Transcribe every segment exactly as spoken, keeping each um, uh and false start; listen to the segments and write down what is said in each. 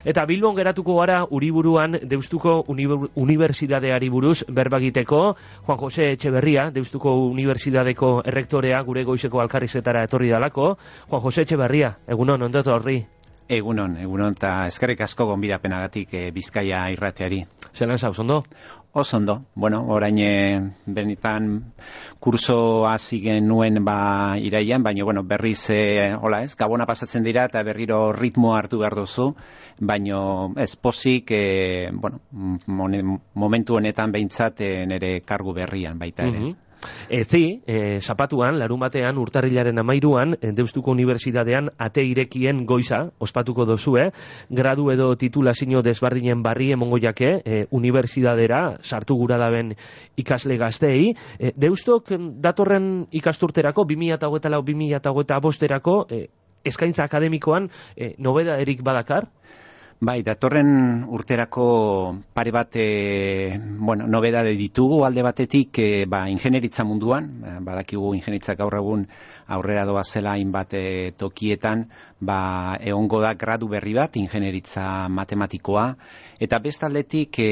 Eta Bilbon geratuko gara Uriburuan Deustuko Unibertsitateari buruz berbagiteko. Juan Jose Etxeberria, Deustuko Unibertsitateko errektorea, gure goizeko alkarrizetara etorri dalako. Juan Jose Etxeberria, egunon, ondo etorri. Egunon, egunon, eta eskerrik asko gonbidapenagatik e, Bizkaia irrateari. Zelan zauz, ondo? Oso ondo. Bueno, orain e, benitan kursoa zigen nuen ba iraian, baina bueno, berriz e, hola ez, gabona pasatzen dira eta berriro ritmo hartu behar duzu, baina ez pozik, e, bueno, momentu honetan behintzat e, nire kargu berrian baita ere. Mm-hmm. Ezi, e, zapatuan, larun batean, urtarrilaren amairuan, Deustuko Unibertsitatean ate irekien goiza, ospatuko dozue, gradu edo titulazio desbardinen barri emongo jake, e, unibertsitatera sartu gura daben ikasle gaztei. E, Deustok datorren ikasturterako, bi mila hogeita lau bi mila hogeita bosterako, e, eskaintza akademikoan, e, nobeda erik badakar? Bai, datorren urterako pare bat, e, bueno, nobedade ditugu alde batetik, e, ba, ingenieritza munduan, badakigu ingenieritzak gaur egun aurrera doa zela hainbat e, tokietan, ba, egongo da gradu berri bat, ingenieritza matematikoa, eta bestaldetik e,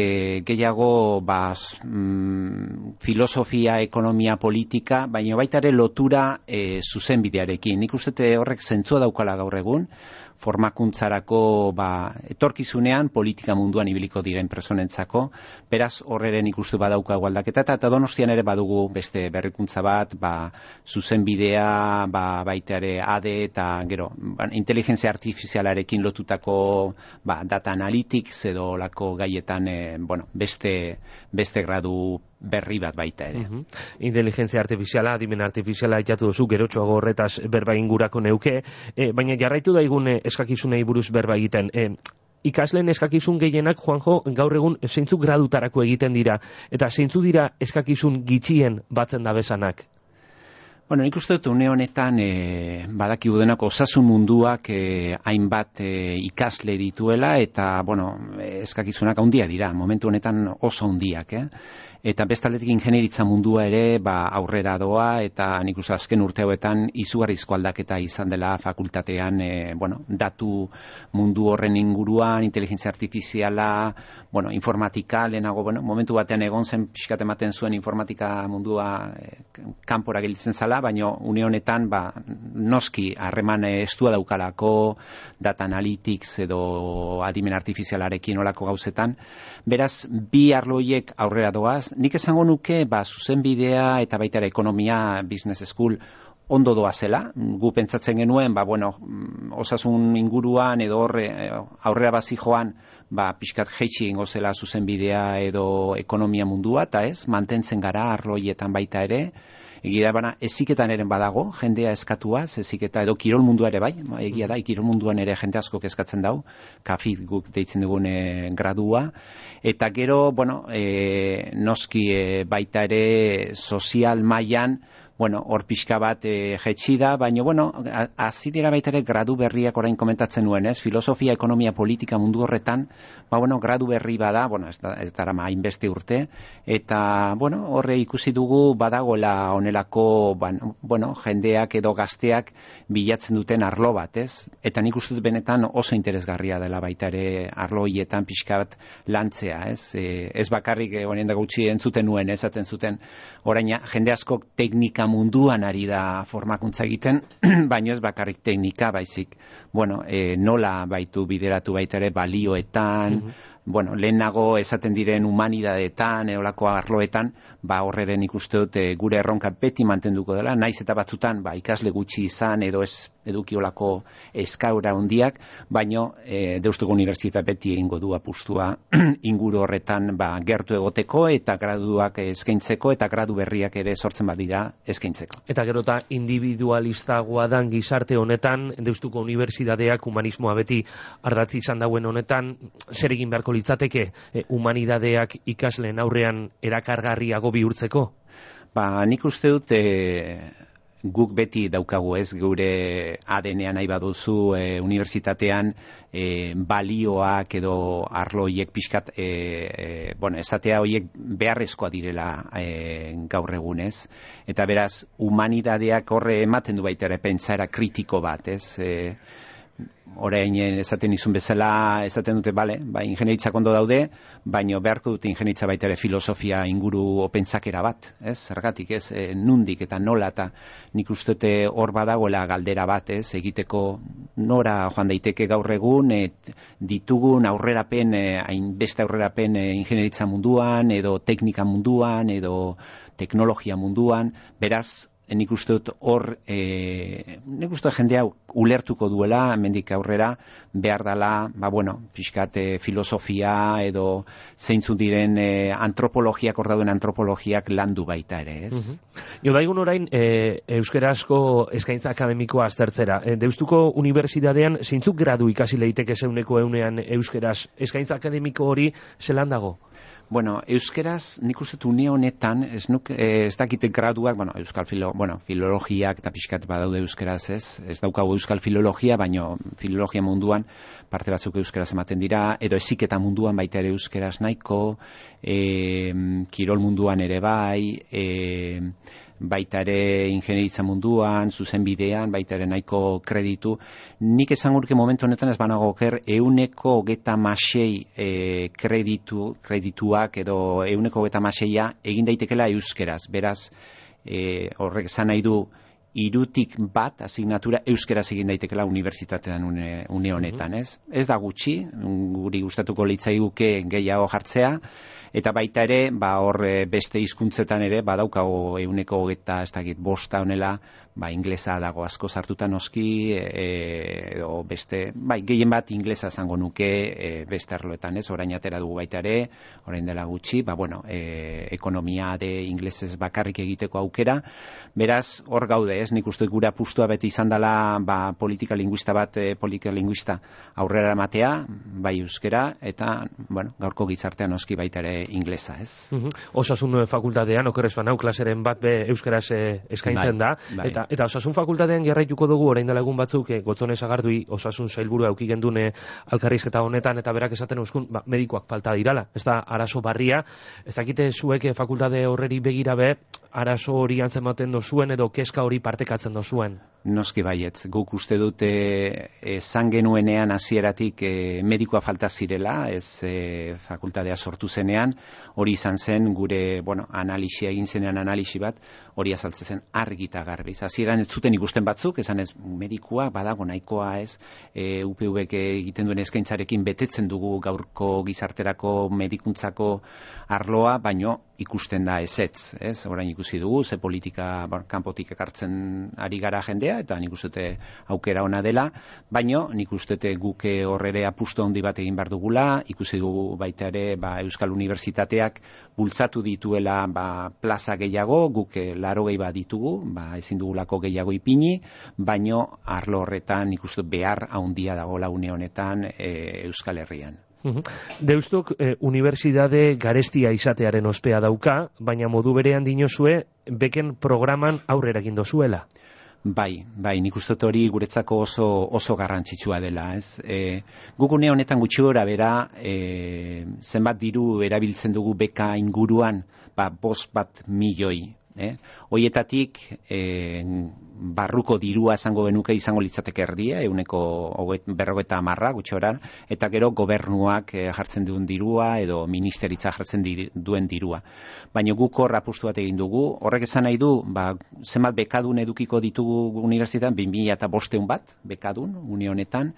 gehiago ba, mm, filosofia, ekonomia, politika, baina baita ere lotura e, zuzenbidearekin. Nik uste horrek zentzua daukala gaur egun, formakuntzarako ba, etorkizunean politika munduan ibiliko diren personentzako, beraz horreren ikustu badauka aldaketa, eta Donostian ere badugu beste berrikuntza bat, ba, zuzenbidea, ba, baita ere A D eta gero, ba, inteligentzia artifizialarekin lotutako ba, data analytics edo lako gaietan e, bueno, beste, beste gradu berri bat baita ere. Uh-huh. Inteligentzia artifiziala, adimen artifiziala itatu duzu, gerotxoago horretaz berba ingurako neuke, e, baina jarraitu daigun e, eskakizunei buruz berba egiten. E, ikasleen eskakizun gehienak, Juanjo, gaur egun zeintzuk gradutarako egiten dira, eta zeintzu dira eskakizun gitxien batzen da bezanak? Bueno, nik uste dut une honetan e, badakigu denako osasun munduak e, hainbat e, ikasle dituela eta, bueno, eskakizunak handia dira, momentu honetan oso handiak, eh? Eta bestaldetik ingenieritza mundua ere ba, aurrera doa eta nik uste azken urte hauetan izugarrizko aldaketa izan dela fakultatean e, bueno, datu mundu horren inguruan, inteligentzia artifiziala, bueno, informatika, lehenago, bueno, momentu batean egon zen pixkat ematen zuen informatika mundua e, kanpora gelditzen zala, baina une honetan ba, noski harreman estua daukalako, data analytics edo adimen artifizialarekin olako gauzetan. Beraz, bi arloiek aurrera doaz. Nik esango nuke, ba, zuzenbidea eta baita ere ekonomia, business school, ondo doa zela. Gu pentsatzen genuen, ba, bueno, osasun inguruan edo horre, aurrera bazi joan, ba, pixkat jeitsi ingo zela zuzenbidea edo ekonomia mundua, eta ez, mantentzen gara arloietan baita ere. Egia bana, eziketan eren badago, jendea eskatuaz, eziketa edo kirol mundua ere bai, egia da, kirol munduan ere jende asko eskatzen dau, kafit guk deitzen dugun e, gradua, eta gero, bueno, e, noski e, baita ere sozial mailan, bueno, hor pixka bat e, jetxi da, baina, bueno, hasi dira baita ere gradu berriak orain komentatzen nuen, ez? Filosofia, ekonomia, politika mundu horretan, ba, bueno, gradu berri bada, bueno, ez da, ez dara ma, hainbeste urte, eta, bueno, horre ikusi dugu badagoela onelako, bueno, jendeak edo gazteak bilatzen duten arlo bat, ez? Eta nik uste dut benetan oso interesgarria dela baita ere arlo hietan pixka bat lantzea, ez? E, ez bakarrik honen da gutxi entzuten nuen, esaten zuten, orain jende asko teknika munduan ari da formakuntza egiten, baino ez bakarrik teknika, baizik, bueno, e, nola baitu bideratu baita ere balioetan, mm-hmm. bueno, lehenago esaten diren humanidadeetan, eolako arloetan, ba horreren ikuste dut e, gure erronka beti mantenduko dela, naiz eta batzutan, ba ikasle gutxi izan, edo ez edukiolako eskaura handiak, baino e, Deustuko Unibertsitate beti egingo du apustua inguru horretan ba, gertu egoteko eta graduak eskaintzeko eta gradu berriak ere sortzen badira eskaintzeko. Eta gero eta individualistagoa dan gizarte honetan, Deustuko Unibertsitateak humanismoa beti ardatzi izan dauen honetan, zer egin beharko litzateke e, humanidadeak ikasleen aurrean erakargarriago bihurtzeko? Ba, nik uste dut e, guk beti daukagu ez, gure A D N-a nahi baduzu e, unibertsitatean e, balioak edo arloiek pixkat, e, e, bueno, esatea horiek beharrezkoa direla e, gaur egunez. Eta beraz, humanidadeak horre ematen du baita ere pentsaera kritiko bat, ez? E, orain esaten izun bezala, esaten dute, bale, ba, ingenieritzak ondo daude, baino beharko dute ingenieritzak baita ere filosofia inguru pentsakera bat, ez? Zergatik, ez? E, nundik eta nola, eta nik uste hor badagoela galdera bat, ez? Egiteko nora joan daiteke gaur egun, et, ditugun aurrerapen, hainbeste aurrerapen e, ingenieritza munduan, edo teknika munduan, edo teknologia munduan, beraz, nik uste dut hor, e, nik uste jendea ulertuko duela, hemendik aurrera, behar dela, ba bueno, pixkat e, filosofia edo zeintzun diren e, antropologiak, hor dauden antropologiak landu baita ere, ez? Uh-huh. Jo, daigun orain, e, euskarazko eskaintza akademikoa aztertzera. E, Deustuko Unibertsitatean zeintzuk gradu ikasi leiteke zeuneko eunean euskaraz eskaintza akademiko hori zelan dago? Bueno, euskeraz, nik uste une honetan, ez, nuk, ez dakite graduak, bueno, euskal filo, bueno, filologiak eta pixkat badaude euskeraz, ez, ez daukagu euskal filologia, baino filologia munduan parte batzuk euskeraz ematen dira, edo heziketa munduan baita ere euskeraz nahiko, e, kirol munduan ere bai, e, baita ere ingenieritza munduan, zuzenbidean, baita ere nahiko kreditu. Nik esango nuke momentu honetan ez banago oker, euneko hogeta masei e, kreditu, kredituak edo euneko hogeta maseia egin daitekela euskeraz. Beraz, e, horrek esan nahi du, irutik bat asignatura euskeraz egin daitekela unibertsitatean une, une honetan, ez? Ez da gutxi, guri gustatuko litzaiguke gehiago jartzea, eta baita ere, ba hor beste hizkuntzetan ere badaukago euneko hogeta, ez dakit, bosta honela, ba inglesa dago asko sartuta noski, e, edo beste, bai, gehien bat inglesa zango nuke e, beste arloetan, ez? Orain atera dugu baita ere, orain dela gutxi, ba bueno, e, ekonomia de inglesez bakarrik egiteko aukera, beraz, hor gaude, ez? Nik uste gure apustua beti izan dela, ba, politika linguista bat, e, politika linguista aurrera ematea, bai euskera, eta, bueno, gaurko gizartean noski baita ere inglesa, ez? Uh-huh. Osasun fakultatean, okerrez banau, klaseren bat be euskaraz eh, eskaintzen bai, da, bai. Eta, eta osasun fakultatean jarraituko dugu, orain dela egun batzuk, eh, Gotzone Sagardui osasun sailburua auki gendune alkarrizketa honetan, eta berak esaten euskun, ba, medikoak falta dirala, ez da arazo barria, ez dakite zuek eh, fakultate horreri begira be, arazo hori antzematen dozuen edo keska hori partekatzen dozuen? Noski baietz, guk uste dute esan genuenean hasieratik e, medikoa falta zirela, ez e, fakultatea sortu zenean, hori izan zen gure, bueno, analisia egin zenean analisi bat, hori azaltzen zen argi eta garbi. Hasieran ez zuten ikusten batzuk, esan ez medikua badago nahikoa, ez, e, U P Vek egiten duen eskaintzarekin betetzen dugu gaurko gizarterako medikuntzako arloa, baino ikusten da ezetz, ez? Orain ikusi dugu, ze politika bon, kanpotik ekartzen ari gara jendea, eta nik uste aukera ona dela, baino nik uste guk horrere apustu handi bat egin behar dugula, ikusi dugu baita ere ba, Euskal Unibertsitateak bultzatu dituela ba, plaza gehiago, guk laro gehi bat ditugu, ba, ezin dugulako gehiago ipini, baino arlo horretan nik uste behar handia dagoela une honetan e, Euskal Herrian. Deustok eh, unibertsitate garestia izatearen ospea dauka, baina modu berean dinozue beken programan aurrera egin dozuela. Bai, bai, nik uste hori guretzako oso, oso garrantzitsua dela, ez? E, guk une honetan gutxi gora bera, e, zenbat diru erabiltzen dugu beka inguruan, ba, bost bat milioi. Eh? Hoietatik eh, barruko dirua esango genuke izango litzateke erdia, euneko berrogeta hamarra gutxora, eta gero gobernuak eh, jartzen duen dirua edo ministeritza jartzen di, duen dirua. Baina guk hor apustu bat egin dugu, horrek esan nahi du, ba, zenbat bekadun edukiko ditugu unibertsitatean, bi mila eta bosteun bat bekadun, une honetan,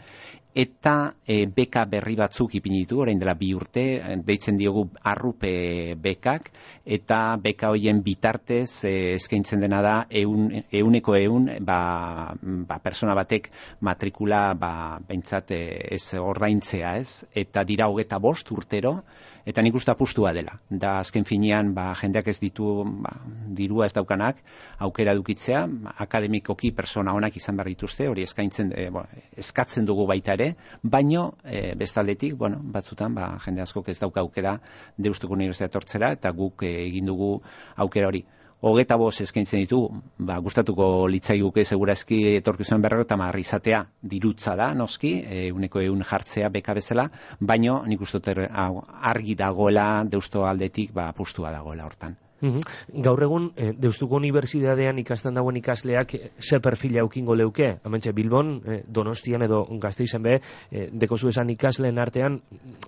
eta e, beka berri batzuk ipini ditu, orain dela bi urte, deitzen diogu arrupe bekak, eta beka hoien bitartez e, eskaintzen dena da eun, euneko eun, ba, ba, persona batek matrikula ba, behintzat e, ez ordaintzea, ez? Eta dira hogeta bost urtero, eta nik uste apustua dela. Da azken finean ba, jendeak ez ditu ba, dirua ez daukanak, aukera edukitzea, akademikoki persona onak izan behar dituzte, hori eskaintzen, e, bo, eskatzen dugu baita ere, baino e, bestaldetik, bueno, batzutan ba, jende askok ez dauka aukera Deustuko Unibertsitatea tortzera, eta guk e, egin dugu aukera hori. Hogeta bost eskaintzen ditu, ba, gustatuko litzaiguke segurazki etorkizuen berrogeta hamar izatea dirutza da, noski, euneko eun jartzea beka bezala, baino nik uste argi dagoela Deusto aldetik ba, apustua dagoela hortan. Gaur egun, e, Deustuko Unibertsitatean ikasten dagoen ikasleak e, ze perfila eukingo leuke? Hementxe Bilbon, e, Donostian edo Gasteizen be, e, dekozu esan ikasleen artean,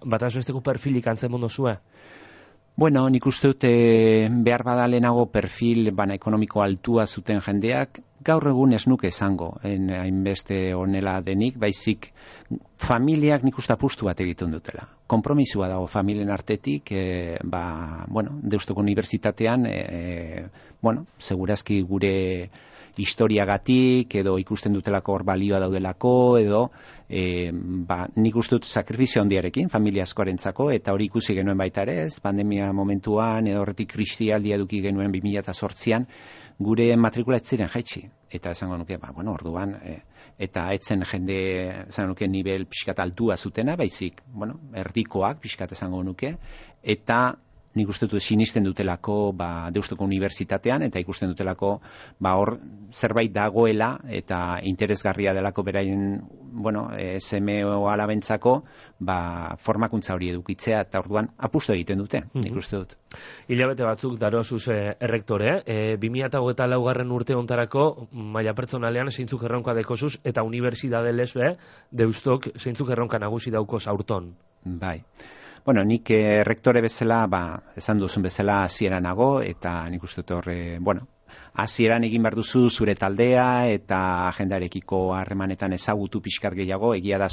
bataz besteko perfilik antzen mondozue? Bueno, nik uste dute behar bada lehenago perfil bana ekonomiko altua zuten jendeak, gaur egun ez nuke esango, hainbeste honela denik, baizik familiak nik uste apustu bat egiten dutela. Kompromisua dago familien artetik, e, ba, bueno, Deustuko Unibertsitatean, e, bueno, segurazki gure historiagatik, edo ikusten dutelako hor balioa daudelako, edo e, ba, nik uste dut sakrifizio handiarekin, familia askorentzako, eta hori ikusi genuen baita ere, ez, pandemia momentuan, edo horretik kristialdia eduki genuen bi mila zortzian, gure matrikula ez ziren jaitsi. Eta esango nuke, ba, bueno, orduan, e, eta etzen jende, esango nuke, nivel pixkat altua zutena, baizik, bueno, erdikoak pixkat esango nuke, eta nik uste dut sinisten dutelako ba, Deustuko Unibertsitatean, eta ikusten dutelako ba, hor zerbait dagoela, eta interesgarria delako beraien, bueno, seme o alabentzako, ba, formakuntza hori edukitzea, eta orduan apustu egiten dute, mm-hmm. nik uste dut. Hilabete batzuk darozuz eh, errektore, eh, bi mila hogeita laugarren urte ontarako maila pertsonalean zeintzuk erronka dekozuz, eta unibertsitate lesbe, Deustok zeintzuk erronka nagusi dauko zaurton. Bai. Bueno, nik eh, rektore bezala, ba, esan duzun bezala hasieran nago, eta nik uste dut horre, bueno, hasieran egin behar duzu zure taldea, eta agendarekiko harremanetan ezagutu pixkat gehiago, egia da,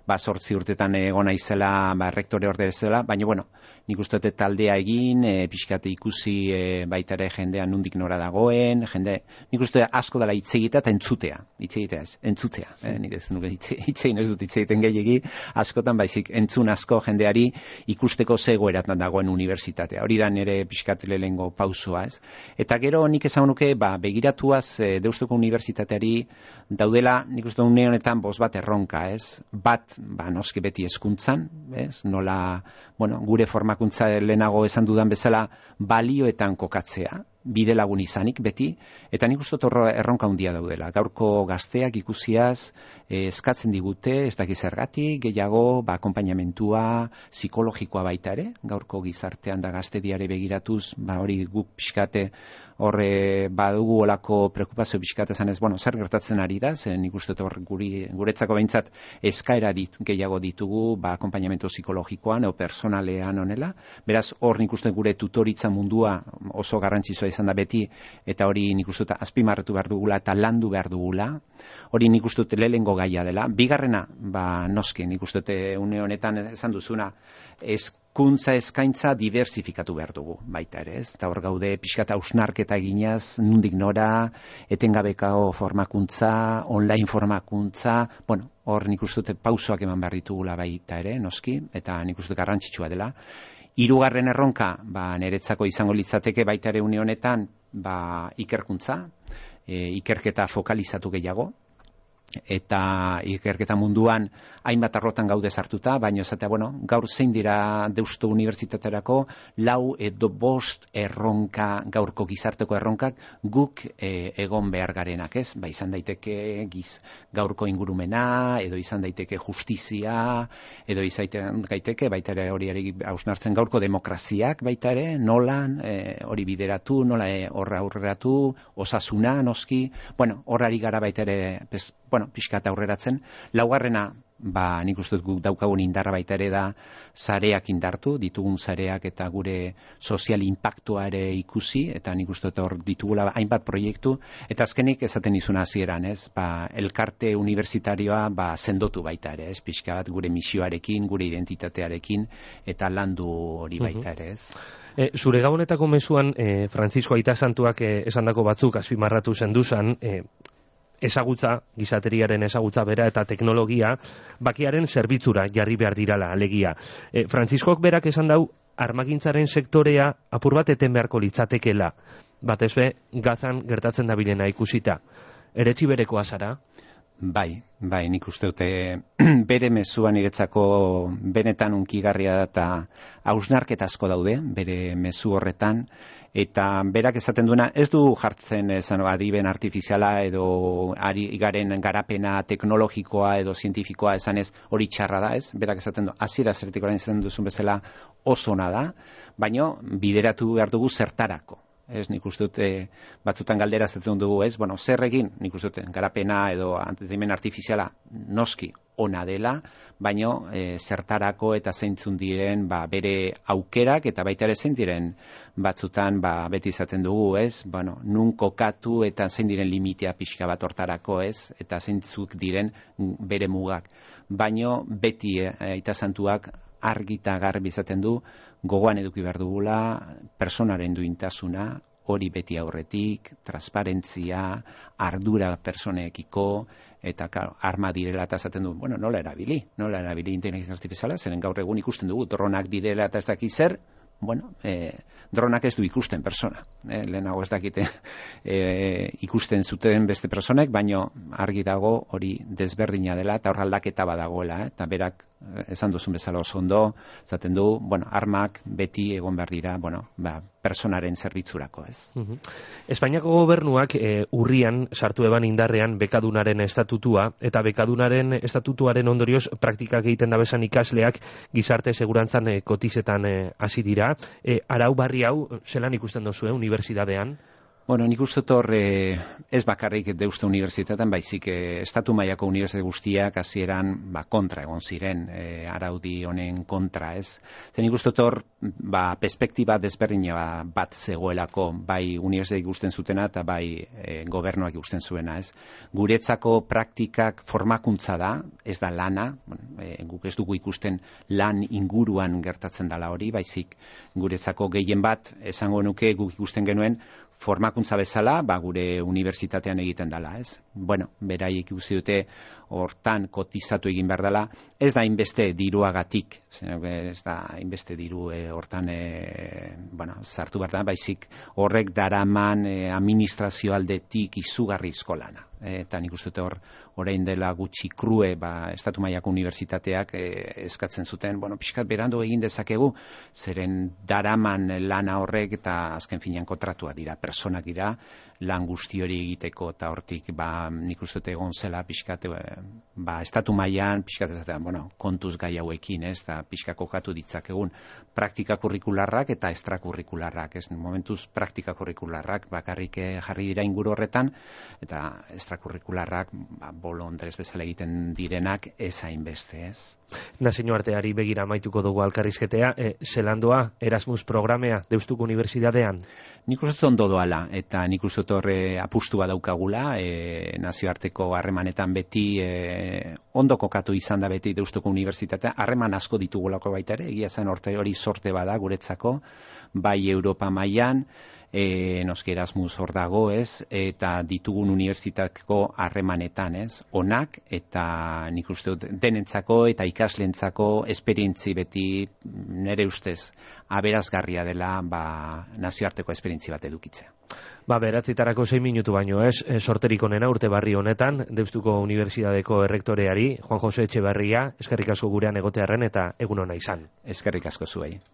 ba, sortzi urtetan egon naizela, ba, rektore orde bezala, baina, bueno, nik uste dut taldea egin, e, pixkat ikusi e, baita ere jendea nundik nora dagoen, jende, nik uste asko dela hitz egitea eta entzutea, hitz egitea ez, entzutea, eh? Nik ez nuke hitz egin ez dut hitz egiten gehiegi, askotan baizik entzun asko jendeari ikusteko zegoeratan dagoen unibertsitatea, hori da nire pixkat lehengo pausua, ez? Eta gero nik esan nuke, ba, begiratuaz e, Deustuko Unibertsitateari daudela, nik uste une honetan bost bat erronka, ez? Bat, ba, noski beti hezkuntzan, ez? Nola, bueno, gure formakuntza lehenago esan dudan bezala balioetan kokatzea, bide lagun izanik beti, eta nik uste torro erronka handia daudela. Gaurko gazteak ikusiaz eh, eskatzen digute, ez dakiz zergatik, gehiago, ba, akompainamentua, psikologikoa baita ere, gaurko gizartean da gaztediare begiratuz, ba, hori guk pixkate horre badugu olako preokupazio pixkate zanez, bueno, zer gertatzen ari da, zen nik uste hor guri, guretzako behintzat eskaera dit, gehiago ditugu, ba, akompainamentu psikologikoan o personalean honela, beraz hor nik uste gure tutoritza mundua oso garrantzitsua izan da beti, eta hori nik uste azpimarratu behar dugula eta landu behar dugula, hori nik uste lehengo gaia dela. Bigarrena, ba, noski, nik uste une honetan esan duzuna, hezkuntza eskaintza diversifikatu behar dugu, baita ere, ez? Eta hor gaude pixkat hausnarketa eginaz, nundik nora, etengabekao formakuntza, online formakuntza, bueno, hor nik uste pausoak eman behar ditugula baita ere, noski, eta nik uste garrantzitsua dela. Hirugarren erronka, ba, niretzako izango litzateke baita ere une honetan, ba, ikerkuntza, e, ikerketa fokalizatu gehiago, eta ikerketa munduan hainbat arlotan gaude sartuta, baina esatea, bueno, gaur zein dira Deustu Unibertsitaterako lau edo bost erronka, gaurko gizarteko erronkak guk e, egon behar garenak, ez? Ba, izan daiteke giz, gaurko ingurumena, edo izan daiteke justizia, edo izan daiteke, baita ere hori hausnartzen gaurko demokraziak, baita ere, nolan, e, hori bideratu, nola e, horra aurreratu, osasuna, noski, bueno, horrari gara baita ere, pez, bueno, pixkat aurreratzen. Laugarrena, ba, nik uste dut daukagun indarra baita ere da sareak indartu, ditugun sareak eta gure sozial impactua ere ikusi, eta nik uste dut hor ditugula hainbat proiektu, eta azkenik esaten izuna hasieran, ez, ba, elkarte unibertsitarioa ba, sendotu baita ere, ez, pixkat gure misioarekin, gure identitatearekin, eta landu hori baita ere, ez. E, zure gabonetako mezuan, e, Frantzisko Aita Santuak e, esandako batzuk azpimarratu zenduzan, e, ezagutza, gizateriaren ezagutza bera eta teknologia bakiaren zerbitzura jarri behar dirala alegia. E, Frantziskok berak esan dau armagintzaren sektorea apur bat eten beharko litzatekela. Batez be, Gazan gertatzen dabilena ikusita. Eretsi berekoa zara? Bai, bai, nik uste dute bere mezua niretzako benetan unkigarria da eta hausnarketa asko daude, bere mezu horretan, eta berak esaten duena ez du jartzen esan adiben artifiziala edo ari garen garapena teknologikoa edo zientifikoa esan ez hori txarra da, ez? Berak esaten du, hasiera zertik orain esaten duzun bezala oso ona da, baino bideratu behar dugu zertarako. Ez, nik uste dut, e, batzutan galdera zetzen dugu, ez, bueno, zer egin, nik uste dut, garapena edo antedimen artifiziala noski ona dela, baino e, zertarako eta zeintzun diren ba, bere aukerak eta baita ere zein diren batzutan ba, beti izaten dugu, ez, bueno, nun kokatu eta zein diren limitea pixka bat hortarako, ez, eta zeintzuk diren bere mugak. Baino beti e, aita santuak argi eta garbi izaten du, gogoan eduki behar dugula, personaren duintasuna, hori beti aurretik, transparentzia, ardura personekiko, eta claro, arma direla eta esaten du, bueno, nola erabili, nola erabili inteligentzia artifiziala, zeren gaur egun ikusten dugu, dronak direla eta ez dakit zer, bueno, eh, dronak ez du ikusten persona, eh, lehenago ez dakite eh, ikusten zuten beste personek, baino argi dago hori desberdina dela eta hor aldaketa badagoela, eh, eta berak esan duzun bezala oso ondo, zaten du, bueno, armak beti egon behar dira, bueno, ba, personaren zerbitzurako, ez. Uh-huh. Espainiako gobernuak e, urrian sartu eban indarrean bekadunaren estatutua, eta bekadunaren estatutuaren ondorioz praktikak egiten dabesan ikasleak gizarte segurantzan e, kotizetan hasi dira. E, arau barri hau, zelan ikusten duzue, unibertsitatean? Bueno, nik uste hor eh, ez bakarrik deuste unibertsitatean, baizik eh, estatu mailako unibertsitate guztiak hasieran ba, kontra egon ziren, eh, araudi honen kontra, ez. Zer nik uste hor ba, perspektiba desberdina bat zegoelako, bai unibertsitate ikusten zutena eta bai eh, gobernuak ikusten zuena, ez. Guretzako praktikak formakuntza da, ez da lana, eh, guk ez dugu ikusten lan inguruan gertatzen dela hori, baizik guretzako gehien bat, esango nuke guk ikusten genuen, formakuntza bezala, ba, gure unibertsitatean egiten dela, ez? Bueno, beraiek ikusi dute hortan kotizatu egin behar dela, ez da inbeste diruagatik, ez da inbeste diru e, hortan e, bueno, sartu behar da, baizik horrek daraman e, administrazio aldetik izugarri eskolana. E, eta nik uste hor, orain dela gutxi krue, ba, estatu mailako unibertsitateak e, eskatzen zuten, bueno, pixkat berandu egin dezakegu, zeren daraman lana horrek eta azken finean kontratua dira, personak dira, lan guzti hori egiteko eta hortik ba, nik uste egon zela pixkat, ba, estatu mailan pixkat ezatean, bueno, kontuz gai hauekin, ez, eta pixka kokatu ditzakegun praktika kurrikularrak eta extrakurrikularrak, ez, momentuz praktika kurrikularrak bakarrik jarri dira inguru horretan, eta extrakurrikularrak ba, bolondrez bezala egiten direnak ez hainbeste, ez. Nazio arteari begira amaituko dugu alkarrizketea, e, zelandoa Erasmus programea Deustuko Unibertsitatean? Nik uste ondo doala, eta nik uste horre apustua daukagula, e, nazioarteko harremanetan beti e, ondo kokatu izan da beti Deustuko Unibertsitatea, harreman asko ditugulako baita ere, egia zen orte hori sorte bada guretzako, bai Europa mailan, E, noski Erasmus hor dago, ez, eta ditugun unibertsitateko harremanetan, ez, onak, eta nik uste dut denentzako eta ikaslentzako esperientzi beti nire ustez aberazgarria dela ba, nazioarteko esperientzi bat edukitzea. Ba, beratzitarako sei minutu baino, ez, sorterik onena urte barri honetan, Deustuko Unibertsitateko errektoreari, Juan Jose Etxeberria, eskerrik asko gurean egotearren eta egun ona izan. Eskerrik asko zuei.